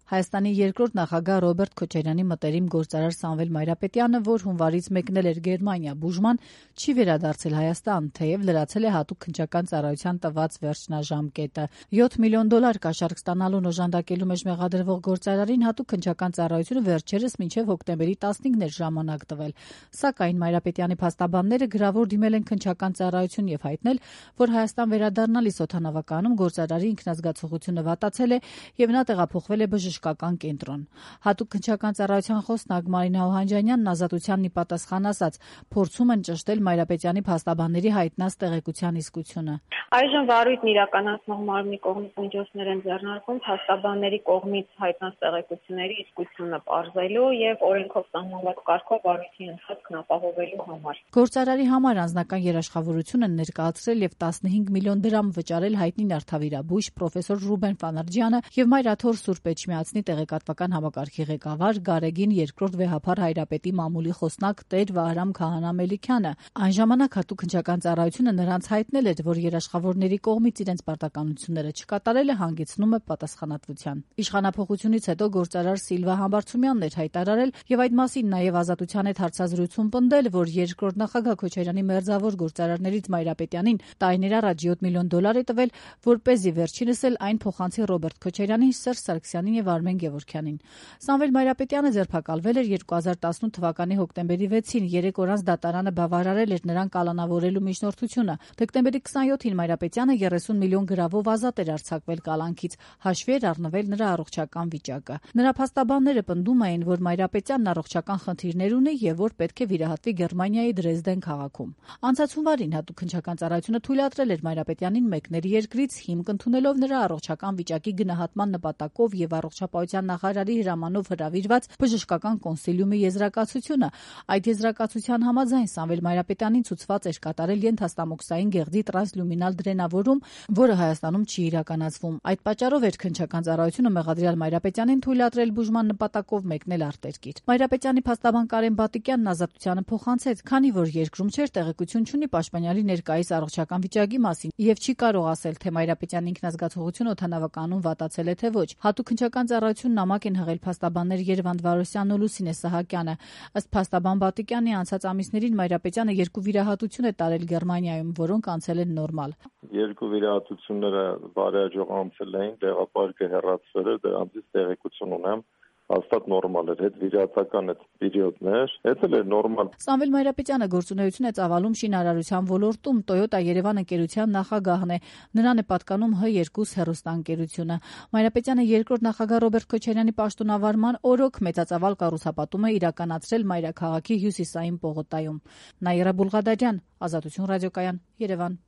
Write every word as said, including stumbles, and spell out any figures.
Հայաստանի երկրորդ նախագահ Ռոբերտ Քոչարյանի մտերիմ գործարար Սամվել Մայրապետյանը, որ հունվարից մեկնել էր Գերմանիա բուժման, չի վերադարձել Հայաստան, թեև լրացել է հատուկ քննչական ծառայության տված վերջնաժամկետը։ յոթ միլիոն դոլար կաշառք ստանալուն օժանդակելու մեջ մեղադրվող գործարարին հատուկ քննչական ծառայությունը վերջերս մինչև հոկտեմբերի տասնինն էր ժամանակ տվել։ Սակայն Մայրապետյանի փաստաբանները գրավոր դիմել են քննչական ծառայություն եւ հայտնել, որ Հայաստան վերադառնալիս օդանավականում գործարարի ինքնազգացողությունը վատացել է եւ նա տեղափոխվել է բժշկական կենտրոն։ Հատուկ քննչական ծառայության խոսնակ Մարինա Օհանջանյանն ազատությանն ի պատասխան ասաց, փորձում են ճշտել Մայրապետյանի փաստաբանների հայտնած տեղեկության իսկությունը։ Այժմ վարույթն իրականացնող մարմնի կողմից միջոցներ են ձեռնարկում փաստաբանների կողմից հայտնած տեղեկությունների իսկությունը պարզելու եւ օրենքով սահմանված կարգով վարույթի ընթացքն ապահովելու համար։ Գործարարի համար անձնական երաշխավորություն են ներկայացրել եւ տասնհինգ միլիոն դրամ վճարել հայտնի նյարդավիրաբույժ պրոֆեսոր Ռուբեն Ֆանարջյանը եւ Մայրաթոր Սուրբ Էջմիածնի տեղեկատվական համակարգի ղեկավար Գարեգին երկրորդ վեհափար Հայրապետի մամուլի խոսնակ Տեր Վահրամ Քահանա Մելիքյանը։ Այն ժամանակ հատուկ քննչական ծառայությունը նրանց հայտնել էր, որ երաշխավորների կողմից իրենց պարտականությունները չկատարելը հանգեցնում է պատասխանատվության։ Իշխանափոխությունից հետո գործարար Սիլվա Համբարձումյանն էր հայտարարել եւ այդ մասին նաեւ Ազատության հետ հարցազրույցում պնդել, որ երկրորդ նախագահ Քոչարյանի մերձավոր գործարարներից Մայրապետյանին տարիներ առաջ յոթ միլիոն դոլար է տվել, որպեսզի վերջինս էլ այն փոխանցի Ռոբերտ Քոչարյանին, Սերժ Սարգսյանին եւ Արմեն Գևորգյանին։ Սամվել Մայրապետյանը ձերբակալվել էր երկու հազար տասնութ թվականի հոկտեմբերի վեցին, երեք օր անց դատարանը բավարարել էր նրան կալանավորելու միջնորդությունը։ Դեկտեմբերի քսանյոթին Մայրապետյանը երեսուն միլիոն գրավով ազատ էր արձակվել կալանքից, հաշվի էր առնվել նրա առողջական վիճակը։ Նրա փաստաբանները պնդում էին, որ Մայրապետյանն առողջական խնդիրներ ունի եւ որ պետք է վիրահատվի Գերմանիայի Դրեզդեն քաղաքում։ Անցած հունվարին հատուկ քննչական ծառայությունը թույլատրել էր Մայրապետյանին մեկնել երկրից, հիմք ընդունելով նրա առողջական վիճակի գնահատման նպատակով եւ առողջապահության նախարարի հրամանով հրավիրված բժշկական կոնսիլիումի եզրակացությունը։ Այդ եզրակացության համաձայն Սամվել Մայրապետյանին ցուցված էր կատարել ենթաստամոքսային գեղձի տրանսլյումինալ դրենավորում, որը Հայաստանում չի իրականացվում։ Այդ պատճառով էր քննչական ծառայությունը մեղադրյալ Մայրապետյանին թույլատրել բուժման նպատակով մեկնել արտերկիր։ Մայրապետյանի փաստաբան Կարեն Բատիկյանն Ազատությանը փոխանցեց, քանի որ երկրում չէր տեղեկություն չունի պաշտպանյալի ներկայիս առողջական վիճակի մասին եւ չի կարող ասել, թե Մայրապետյանի ինքնազգացողությունը օդանավականում վատացել է թե ոչ։ Հատուկ քննչական ծառայությունն նամակ են հղել փաստաբաններ Երևան Վարոսյանն ու Լուսինե Սահակյանը։ Ըստ փաստաբան Բատիկյանի, անցած ամիսներին Մայրապետյանը երկու վիրահատություն է տարել Գերմանիայում, որոնք անցել են նորմալ։ Երկու վիրահատությունները բարեհաջող անցել էին, տեղապարկը հեռացվել էր, դրանցից տեղեկություն ունեմ։ Հաստատ նորմալ էր, հետ վիրահատական այդ պերիոդներ, այդ էլ էր նորմալ։ Սամվել Մայրապետյանը գործունեություն է ծավալում շինարարության ոլորտում, Toyota Երևան ընկերության նախագահն է։ Նրան է պատկանում Հ երկու հեռուստաընկերությունը։ Մայրապետյանը երկրորդ նախագահ Ռոբերտ Քոչարյանի պաշտոնավարման օրոք մեծածավալ կառուցապատում է իրականացրել Մայրաքաղաքի հյուսիսային պողոտայում։ Նաիրա Բուլղադարյան, Ազատություն ռադիոկայան, Երևան։